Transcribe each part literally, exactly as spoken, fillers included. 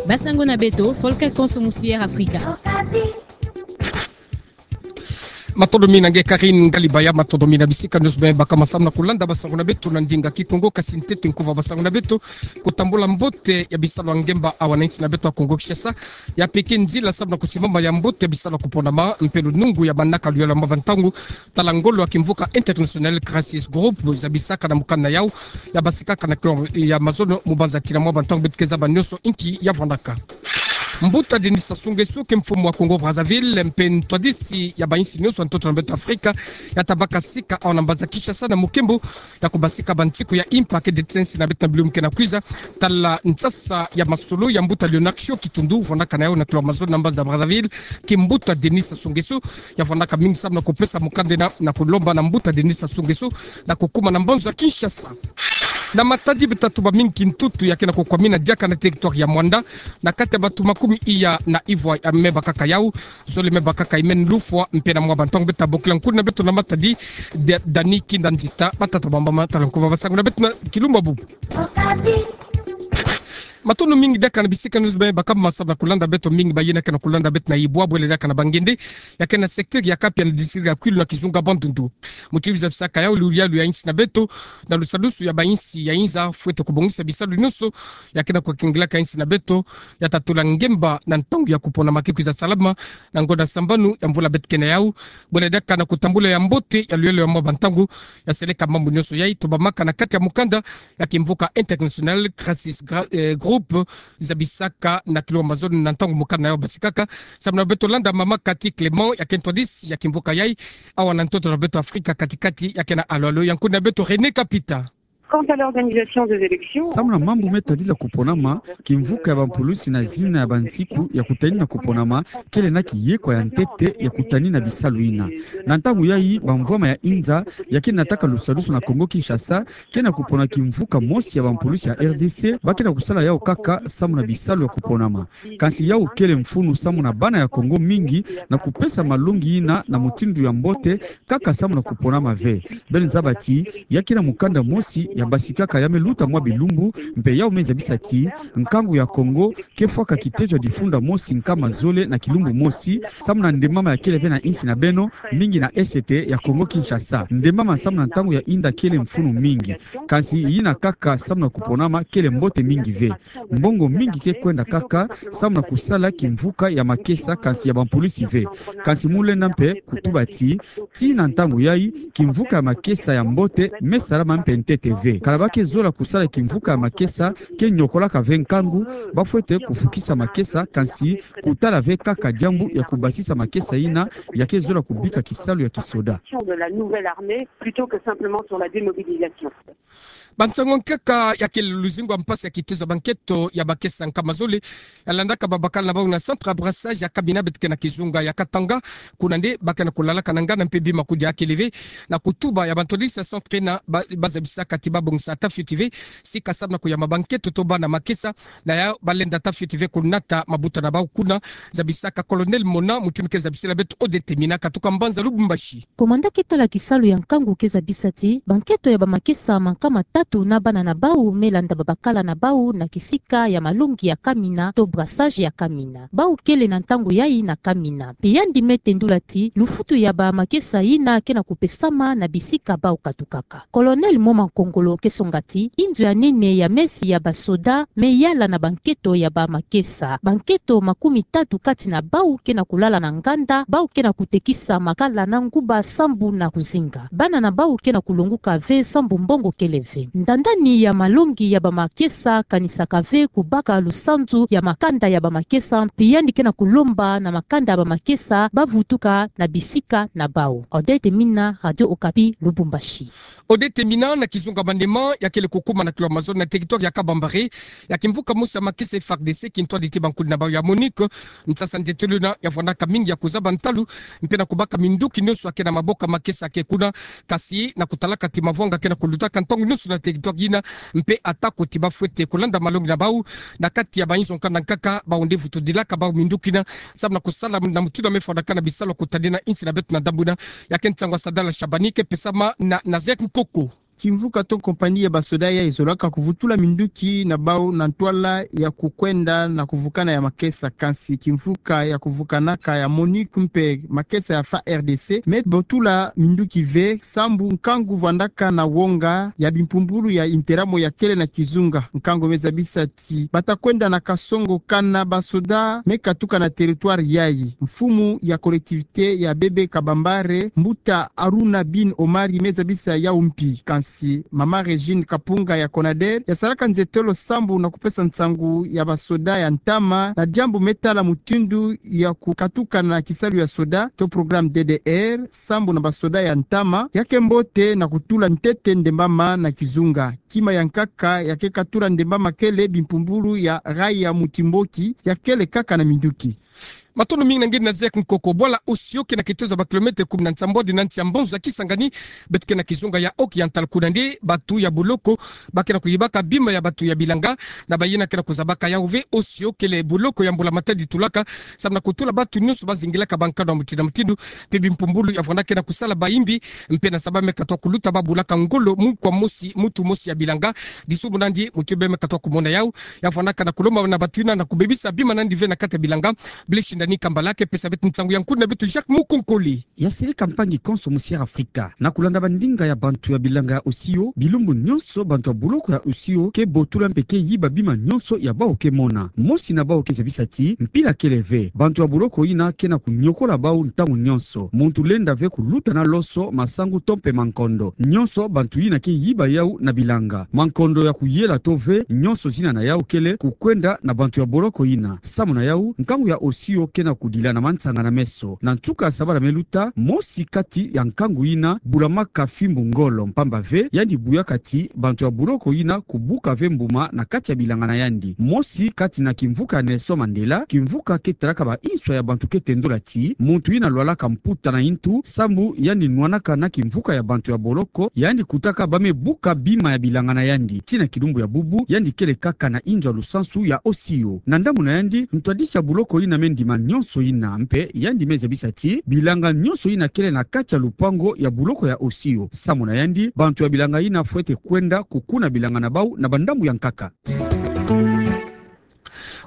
Basango na beto, Volker Konso musi Air Afrika. Matondo mingi na nge Karine Galibaya, matondo mingi na bisika nyonso bima baka ma samu na kulanda basango na beto na ndinga Kikongo. Kasi ntete nkuva basango na beto, kutambula mbote ya bisalu ya ngemba awa na insi na beto ya Kongo Kinshasa, ya peke nzila samu na kusimama ya mbote ya bisalu ya kuponama mpe lunungu ya manaka luyolo ya mwa bantangu, tala ngolo ya kimvuka International Crisis Group zabisaka na mokanda yau, ya basikaka na kilo ya mazono mu banza kina mwa bantangu beto ke zaba nyonso inki ya vwandaka. Mbuta Denis Sassou Nguesso ke mfumu wa Congo Brazzaville mpe ntwadisi ya bainsi nyonso ya ntoto na beto Afrika, ya tabaka sika awa na mbanza Kinshasa na mukembo ya kubasika bansiku ya impa ke detien insi na beto na bilumbu ke na kwiza, tala nsasa ya masolo ya mbuta Léonard Ciok Kitundu, vwandaka na yau na kilo ya mazono na mbanza Brazzaville, ke mbuta Denis Sassou Nguesso, ya vwandaka mingi samu na kupesa mokanda ena na kulomba na mbuta Denis Sassou Nguesso na kukuma na mbanza Kinshasa. Na matadi beto tatuba mingi kintutu ya ke na kukwamina diaka na territoire ya Muanda, na kati ya bato makumi iya na ivwa ya me bakaka yau, zole me bakaka imeni lufwa, mpe na mwa bantangu beto tabokila nkundi na beto na matadi, de, Dani Kinda Nzita, batata bambama tala nkuva basango na beto na kilumbu bubu. Matondo mingi diaka na bisika nyonso bima baka ma samu na kulanda beto, mingi bayina ke na kulanda beto na Ibwa, bwele diaka na Bangende, ya ke na secteur ya Kapia na district ya Kwilu na kizunga Bandundu. Muti biza bisaka yau luyalu ya insi na beto, na lusadusu ya bainsi ya inza, fwete kubongisa bisalu nyonso ya ke na kukengilaka insi na beto, ya tatula ngemba na ntangu ya kuponama ke kwiza salama, na ngonda sambanu ya mvula beto ke na yau, bwele diaka na kutambula ya mbote ya luyalu ya mwa bantangu, ya seleka mambu nyonso yai, tobamaka na kati ya mokanda ya kimvuka International Crisis Gra-, eh, Group, zabisaka na kilo ya mazono na ntangu mokanda yau basikaka, samu na beto landa mama Cathy Clément, ya ke ntwadisi ya kimvuka yai, awa na ntoto na beto Afrika kati-kati, ya ke na alo-alo ya nkundi na beto René Kapita. Quant à l'organisation des élections, samu na mambu me tadila kuponama, kimvuka ya bampulusi na zina ya bansiku ya kutani na kuponama, kele na kiyekwa ya ntete ya kutani na bisalu ina. Na ntangu yai, bamvwama ya inza ya ke nataka lusadusu na Kongo Kinshasa, ke na kupona kimvuka mosi ya bampulusi ya R D C, ba ke na kusala yau kaka samu na bisalu ya kuponama. Kansi yau kele mfunu samu na bana ya Kongo mingi na kupesa malongi ina na mutindu ya mbote, kaka samu na kuponama ve. Beno zaba ti, ya ke na mukanda mosi ya basikaka ya me luta mwa bilumbu, mpe yau me zabisa ti, nkangu ya Kongo ke fwaka kitezo ya difunda mosi nkama zole na kilumbu mosi, samu na ndembama ya kele ve na insi na beno, mingi na Est ya Kongo Kinshasa. Ndembama samu na ntangu ya inda kele mfunu mingi. Kansi yina kaka samu na kuponama kele mbote mingi ve. Mbongo mingi ke kwenda kaka samu na kusala kimvuka ya makesa kansi ya bampulusi ve. Kansi mu lenda mpe kutuba ti, tii na ntangu yai, kimvuka ya makesa ya mbote me salama mpe ntete ve. Kala ba ke zola kusala kimvuka ya makesa ke nyokolaka ve nkangu, ba fwete kufukisa makesa, kansi kutala ve kaka diambu ya kubasisa makesa ina ya ke zola kubika kisalu ya kisoda. De la nouvelle armée plutôt que simplement sur la démobilisation. Bansango nkaka ya kele luzingu ya mpasi ya kitezo ya banketo ya makesa nkama zole ya landaka babakala na bau na centre ya brassage ya Kamina beto ke na kizunga ya Katanga, kuna nde ba ke na kulalaka na ngana mpe bima kudia kele ve, na kutuba ya bantwadisi ya centre ina ba, ba zabisaka ti ba bongisa ata fioti ve sika samu na kuyamba banketo to bana makesa, na yau ba lenda ata fioti ve kunata mabuta na bau kuna, zabisaka Colonel Mona, mutu ke zabisila beto Odette Mina katuka mbanza Lubumbashi. Komanda ke tala kisalu ya nkangu ke zabisa ti, banketo ya bamakesa mankama tatu na bana na bau me landa babakala na bau na kisika ya malongi ya Kamina to brassage ya Kamina. Bau kele na ntangu yai na Kamina. Mpe yandi me tendula ti, lufutu ya bamakesa ina ke na kupesama na bisika bau katukaka. Colonel Moma Nkongolo ke songa ti, inzo ya nene ya mesi ya basoda me yala na banketo ya bamakesa. Banketo makumi tatu kati na bau ke na kulala na nganda, bau ke na kutekisa makala na nguba sambu na kuzinga. Bana na bau ke na kulonguka ve sambu mbongo kele ve. Ndandani ya malongi ya bamakesa kanisaka ve kubaka lusanzu ya makanda ya bamakesa, mpe yandi ke na kulomba na makanda ya bamakesa ba vutuka na bisika na bau. Odette Mina, Radio Okapi, Lubumbashi. Odette Mina na kizunga Maniema, ya kele kukuma na kilo ya mazono na territoire ya Kabambare, ya kimvuka mosi ya makesa F A R D C kintwadi ti bankundi na bau ya MONUC, nsasa ntetelo ina ya vwandaka mingi ya kuzaba ntalu, mpe na kubaka minduki nyonso ya ke na maboko ya makesa ke kuna, kasi na kutalaka ti mavwanga ke na kulutaka ntangu nyonso na territoire ina, mpe atako ti ba fwete kulanda malongi na bau, na kati ya bainzo nkanda nkaka, bau nde vutudilaka bau minduki ina, samu na kusala na mutindu ya me fwanaka na bisalu ya kutadina insi na beto na ndambu ina, ya ke nsangu ya Sadala Shabani ke pesama na Nazaire Nkoko. Kimvuka to kompani ya basoda yayi ezolaka kuvutula minduki na bau na ntwala ya kukwenda na kuvukana ya makesa, kansi kimvuka ya kuvukanaka ya MONUC mpe makesa ya FARDC me botula minduki ve, sambu nkangu vwandaka na wonga ya bimpumbulu ya interamo ya kele na kizunga. Nkangu me zabisa ti bata kwenda na kasongo kana basoda me katuka na territoire yayi. Mfumu ya collectivité ya Bebe Kabambare, mbuta Aruna Bin Omari, me zabisa yau mpi. Kansi mama Régine Kapunga ya CONADER yasalaka nzetolo sambu na kupesa nsangu ya basoda ya ntama na diambu me tala mutindu ya kukatuka na kisalu ya soda to programme D D R sambu na basoda ya ntama, ya ke mbote na kutula ntete ndembama na kizunga. Kima ya nkaka ya ke katula ndembama kele bimpumbulu ya rail ya Mutimboki ya kele kaka na minduki. Matondo mingi na nge Nazaire Nkoko. Bwala Osio ke na kitezo ya ba kilomètre kumi na nsambwadi na nsi ya Mbonza Kisangani, beto ke na kizunga ya Oki ya ntala kuna nde bantu ya boloko ba ke na kuyibaka bima ya bantu ya bilanga, na bayina ke na kuzabaka yau ve Osio kele boloko ya mbula-matadi tulaka, sambu na kutula bantu nyonso bazingilaka bankanu ya mutindu na mutindu, mpe bimpumbulu ya vwanda ke na kusala bayimbi, mpe na zaba me katwa kuluta ba bulaka ngolo mukwa mosi, muntu mosi ya bilanga. Disumu nandi mutu bê me katwa kumona yau, ya vwandaka na kulomba na bantu yina na kubebisa bima nandi ve na kati ya bilanga. Blaise Shindani Kambala ke pesa beto nsangu ya nkuna beto Jacques Mukonkole. Ya seleka mpangi konso mu Sierra Africa na kulanda bandinga ya bantu ya bilanga ya Osio, bilumbu nyonso bantu ya boloko ya Osio ke botula mpe ke yiba bima nyonso ya bau ke mona. Mosi na bau ke zabisa ti mpila kele ve. Bantu ya boloko yina ke na kunyokola bau ntangu nyonso. Muntu lenda ve kuluta na loso, masangu to mpe mankondo. Nyonso bantu yina ke yiba yau na bilanga. Mankondo ya kuyela to ve, nyonso zina na yau kele kukwenda na bantu ya boloko yina. Samu na yau, nkangu ya Osio ke na kudila na mansanga na meso. Na nsuka ya sabala me luta, mosi kati ya nkangu yina bulamaka fimbu ngolo, mpamba ve yandi buyaka ti bantu ya boloko yina kubuka ve mbuma na kati ya bilanga na yandi. Mosi kati na kimvuka ya Nelson Mandela, kimvuka ke talaka ba inswa ya bantu ke tendula ti muntu yina lwalaka mputa na intu, sambu yandi nwanaka na kimvuka ya bantu ya boloko, yandi kutaka ba me buka bima ya bilanga na yandi. Tii na kilumbu ya bubu, yandi kele kaka na inzo ya lusansu ya Osio. Na ndambu na yandi, ntwadisi ya boloko yina me ndima nyonso yina, mpe yandi me zabisa ti bilanga nyonso yina kele na kati ya lupango ya boloko ya Osio. Samu na yandi, bantu ya bilanga yina fwete kwenda kukuna bilanga na bau na bandambu ya nkaka.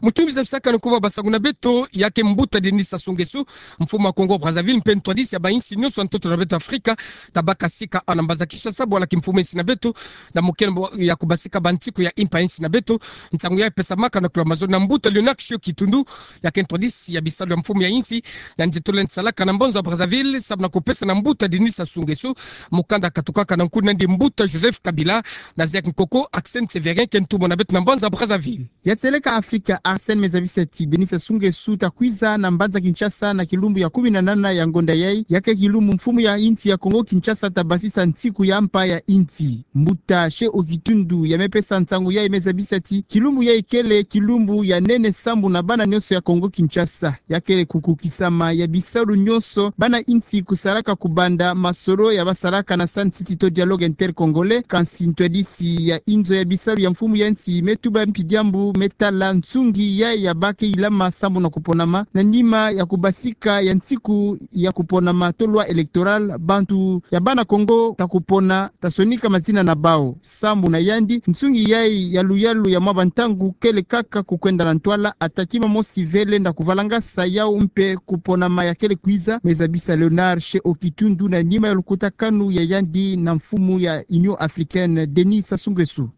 Mutumbi zabisaka na kuva basangu na beto, ya ke mbuta Denis Sassou Nguesso, mfumu ya Congo Brazzaville, mpe ntwadisi ya ba insi nyonso ya ntoto na beto Afrika, tabaka sika awa na mbanza Kinshasa, bwala kimfumu ya insi na beto, na mokeno ya kubasika bansiku ya impa ya insi na beto. Nsangu yayi pesamaka na kula mazono na mbuta Léonard Shiyo Kitundu, ya ke ntwadisi ya bisalu ya mfumu ya insi, na nzietolo yandi salaka na mbanza Brazzaville, samu na kupesa na mbuta Denis Sassou Nguesso mukanda katukaka na nkuna nandi mbuta Joseph Kabila. Nazaire Nkoko, Arsène Sévérin ke ntumwa na beto na mbanza Brazzaville. Ya seleka Afrika, Arsène me zabisa ti Denis Sassou Nguesso ta kwiza na mbanza Kinshasa na kilumbu ya kumi na nana ya ngonda yayi, ya ke kilumbu mfumu ya insi ya Congo Kinshasa tabasisa nsiku ya mpa ya insi. Mbuta Shiyo Kitundu ya me pesa nsangu yayi me zabisa ti kilumbu yayi kele kilumbu ya nene sambu na bana nyonso ya Congo Kinshasa. Ya kele kukukisama ya bisalu nyonso bana insi kusalaka kubanda masolo ya basalaka na Sun City to Dialogue Intercongolais, kansi ntwadisi ya inzo ya bisalu ya mfumu ya insi me tuba mpi diambu me tala nsungi yayi ya ba ke ilama sambu na kuponama na nima ya kubasika ya nsiku ya kuponama to loi électorale. Bantu ya bana Congo ta kupona, ta sonika mazina na bau. Sambu na yandi, nsungi yayi ya luyalu ya mwa bantangu kele kaka kukwenda na ntwala, ata kima mosi ve lenda kuvalangasa yau mpe kuponama ya kele kwiza, me zabisa Léonard Shiyo Kitundu na nima ya lukutakanu ya yandi na mfumu ya Union Africaine, Denis Sassou Nguesso.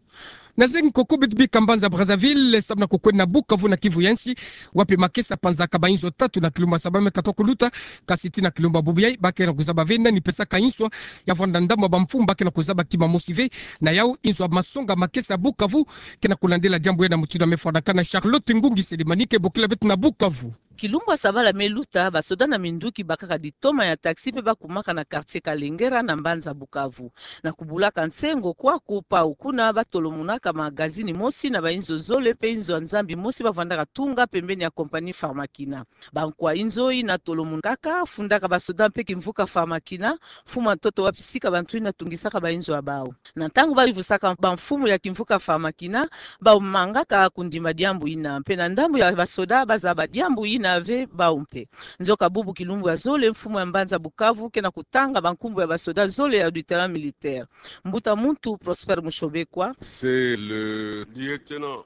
Nazaire Nkoko, beto bika mbanza Brazzaville, samu na kukwenda na Bukavu na Kivu ya nsi, wapi makesa panzaka ba inzo tatu na kilumbu ya saba me katwa kuluta, kansi tii na kilumbu ya bubu yayi, ba ke na kuzaba ve nani pesaka inswa ya vwanda ndambu ya bamfumu ba ke na kuzaba kima mosi ve. Na yau, inzo ya masonga makesa ya Bukavu ke na kulandela diambu yayi na mutindu ya me fwanaka na Charlotte Ngungi Selemani ke bokila beto na Bukavu. Kilumbu ya sabala me luta, basoda na minduki bakaka ditoma ya taxi mpe bakumaka na quartier Kalengera na mbanza Bukavu. Na kubulaka nsengo kwaku, pau kuna batolomonaka magazini mosi na ba inzo zole mpe inzo ya nzambi mosi bavandaka tunga pembeni ya compagnie Pharmakina. Bankwa inzo yina tolomonaka, fundaka basoda mpe kimvuka Pharmakina, mfumu ya ntoto wapi sika bantu yina tungisaka ba inzo ya bau. Na ntangu bayuvusaka bamfumu ya kimvuka Pharmakina, bamangaka kundima diambu yina. Mpe na ndambu ya basoda bazaba diambu yina, ave bau mpe. Nzoka bubu kilumbu ya zole, mfumu ya mbanza Bukavu ke na kutanga bankumbu ya basoda zole ya auditorat militaire. Mbuta muntu Prosper Mushobekwa.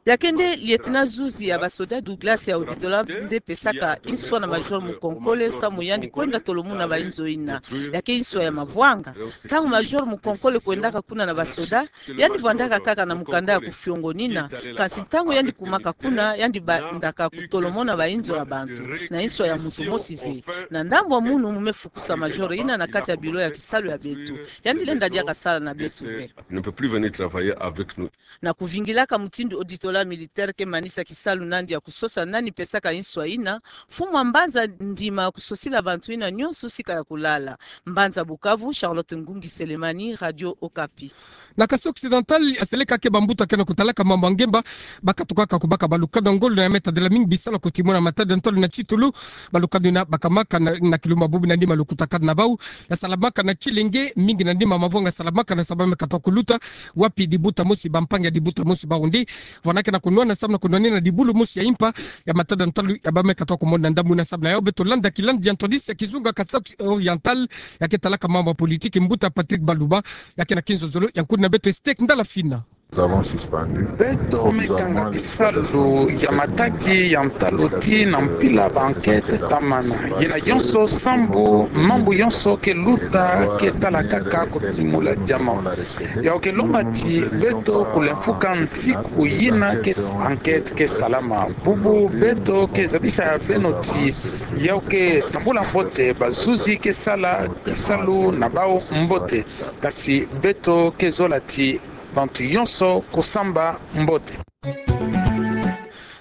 Ya ke nde lieutenant zuzi ya basoda Douglas ya auditorat nde pesaka inswa na major Mukonkole samu yandi kwenda tolomuna bainzo ina. Ya ke inswa ya mavwanga. Ntangu major Mukonkole kwendaka kuna na basoda, yandi vwandaka kaka na mukanda ya kufiongonina, kansi ntangu yandi kumaka kuna, yandi bandaka kutolomona bainzo ya bantu, na inswa ya muntu mosi ve. Na ndambu ya munu mu me fukusa major ina na kati ya bureau ya kisalu ya beto. Yandi lenda diaka sala na beto ve. Na kuvingilaka mutindu auditorat militaire ke manisa kisalu nandi ya kusosa nani pesaka inswa ina, mfumu ya mbanza Ndima kusosila bantu ina nyonso sika ya kulala. Mbanza Bukavu, Charlotte Ngungi Selemani, Radio Okapi. Na Kasai Occidental, ya seleka ke bambuta ke na kutalaka mambu ya ngemba, bakatukaka kubaka balukanu ya ngolo na ya me tadila mingi bisalu ya kutimuna matadi ya ntalo na titulu, balukanu ina bakamaka na, na kilumbu bubu na nima lukutakanu na bau, ya salamaka na tilenge, mingi na nima mavwanga salamaka na sababu ya me katuka kuluta, wapi dibuta mosi, bampangi ya dibuta mosi bawu nde, vwanda ke na kunwana samu na kunwanina dibulu mosi ya impa, ya matadi ya ntalo, ya ba me katuka kumona ndambu na samu na yau beto landa kilandi ya ntwadisi ya kizunga Kasai Oriental, ya ke talaka mambu ya politiki mbuta Patrick Baluba, ya ke na kinzonzolo ya nkuna beto Estek Ndala Fina. Beto me kanga bisalu ya matadi ya ntalo ti na mpila ba enquête tamana. Yina yonso sambu mambu yonso ke luta ke tala kaka kutimula diamant. Yau ke lomba ti beto kulemfuka nsiku yina ke enquête ke salama. Bubu beto ke zabisa ya beno ti yau ke tambula mbote bazuzi ke sala kisalu na bau mbote. Kasi beto ke zola ti bantu yonso kusamba mbote.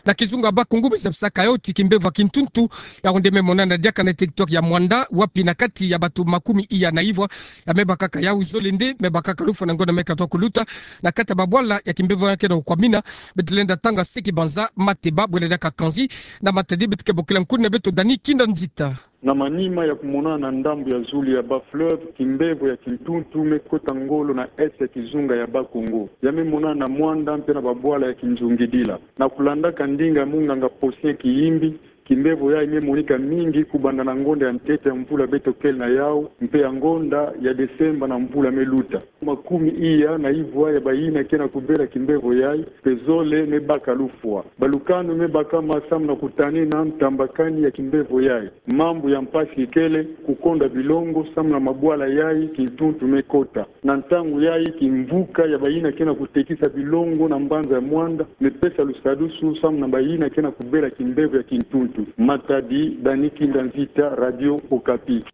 Na kizunga Bas-Congo, beno zabisaka yau ti kimbevo ya kintuntu, yau nde me monana diaka na territoire ya Muanda, wapi na kati ya bantu makumi iya na ivwa, ya me bakaka yau zole nde me bakaka lufwa na ngonda me katuka kuluta, na kati ya babwala ya kimbevo ya ke na kukwamina, beto lenda tanga seki banza, mateba, bwela diaka kanzi, na matadi beto ke bokila nkuna beto Dani Kinda Nzita. Na manima ya kumonana na ndambu ya zulu ya Bas-Fleuve, kimbevo ya kintuntu me kota ngolo na est ya kizunga ya Bas-Congo. Ya me monana na Muanda mpe na babwala ya kinzungidila. Na kulandaka ndinga ya munganga Posien Kiyimbi, kimbevo yayi me monika mingi kubanda na ngonda ya ntete ya mvula beto kele na yau, mpe ya ngonda ya Desemba na mvula me luta. Makumi iya na ivwa ya bayina ke na kubela kimbevo yayi, mpe zole me baka lufwa. Balukanu me bakama samu na kutanina ntambakani ya kimbevo yayi. Mambu ya mpasi ikele kukonda bilongo samu na mabwala yayi kintuntu me kota. Na ntangu yayi kimvuka ya bayina ke na kutekisa bilongo na mbanza ya Muanda me pesa lusadusu samu na bayina ke na kubela kimbevo ya kintuntu. Matadi, Dani Kinda Nzita, Radio Okapi.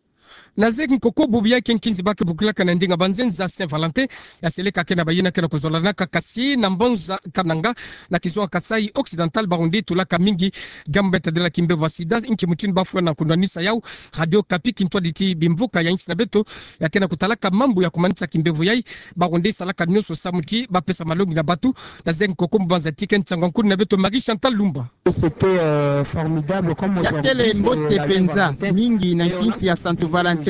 Na zeki nkoko bubu ya ke nkinzi ba ke bokilaka na ndinga banzenza Saint-Valentin, ya seleka ke na bayina ke na kuzolanaka kasi na mbanza Kananga, na kizunga Kasai Occidental, bawu nde tulaka mingi diambu me tadila kimbevo ya sida, nki mutindu ba fwana na kunwanisa yau. Radio Okapi kintwadi ti bimvuka ya nsi na beto, ya ke na kutalaka mambu ya kumanisa kimbevo yayi, bawu nde salaka nyonso samu ti ba pesa malongi na bantu. Na zeki nkoko mbanza ti ke nsangu ya nkuna beto Marie Chantal Lumba. Ya kele mbote penza mingi na nkinsi ya Santu Valentin.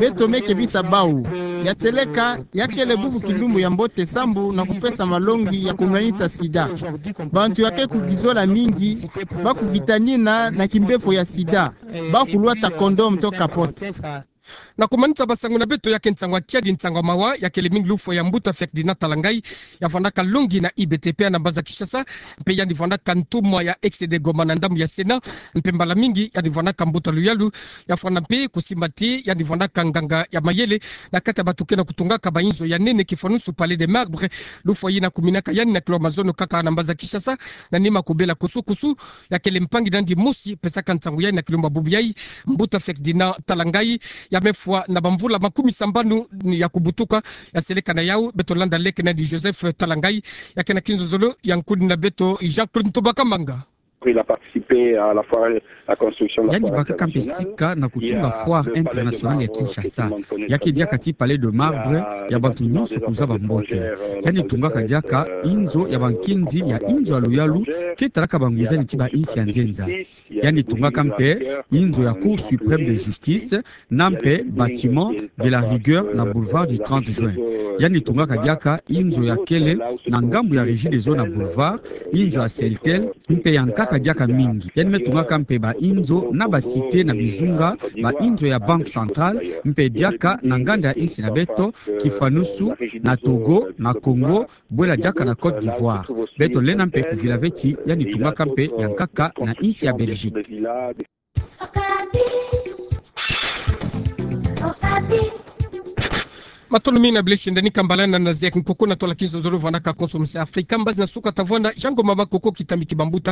Beto me kebisa bau. Ya seleka, ya kele bubu kilumbu ya mbote sambu na kupesa malongi ya kunwanisa sida. Bantu ya ke kukizola mingi, ba kukitanina na kimbevo ya sida. Ba kulwata condom to capote. Na kumanisa basangu na beto, ya ke nsangu ya kiadi, nsangu ya mawa, ya kele mingi lufwa ya mbuta Ferdinand Talangayi, ya vwandaka longi na I B T P na mbanza Kinshasa, mpe yandi vwandaka ntumwa ya ex de Goma na ndambu ya Sénat, mpe mbala mingi yandi vwandaka mbuta luyalu, ya fwana mpe kusimba ti yandi vwandaka nganga ya mayele na kati ya bantu ke na kutungaka bainzo ya nene, kifwanusu Palais des Marbres, lufwa yina kuminaka yandi na kilo mazono kaka na mbanza Kinshasa, na nima kubela kusu-kusu, ya kele mpangi nandi mosi pesaka nsangu yayi na kilumbu bubu yayi, mbuta Ferdinand Talangayi, ya me fwa na bamvula makumi sambanu ya kubutuka. Ya seleka na yau, beto landa leke nandi Joseph Talangayi, ya ke na kinzonzolo ya nkuna beto Jean-Claude Ntoba Kamanga. Il a participé à la foire, la construction de la foire internationale. Yandi bakaka mpe sika na kutunga foire internationale ya Kinshasa. Ya ke diaka ti Palais de Marbre ya bantu nyonso kuzaba mbote. Yandi tungaka diaka inzo ya bankinzi ya inzo ya luyalu ke talaka bangunzani ti bainsi ya nzenza. Yandi tungaka mpe inzo ya Cour suprême de justice, na mpe bâtiment de la rigueur na boulevard du trente juin. Yandi tungaka diaka inzo ya kele na ngambu ya Regideso na boulevard, inzo ya Celtel, mpe ya nkatu diaka mingi. Yandi me tungaka mpe ba inzo na ba cité na bizunga, ba inzo ya Banque Centrale, mpe diaka na nganda ya insi na beto, kifwanusu na Togo, na Congo, bwela diaka na Côte d'Ivoire. Beto lenda mpe kuvila ve ti yandi tungaka mpe ya nkaka na insi ya Belgique. Matondo mingi na bileshenda ni kambala na naziaki nkoko na twala kinzonzolo vwandaka Konso Musi Afrika, mbazi na suka tavwanda, Jean Ngoma Makoko kitambi ki bambuta.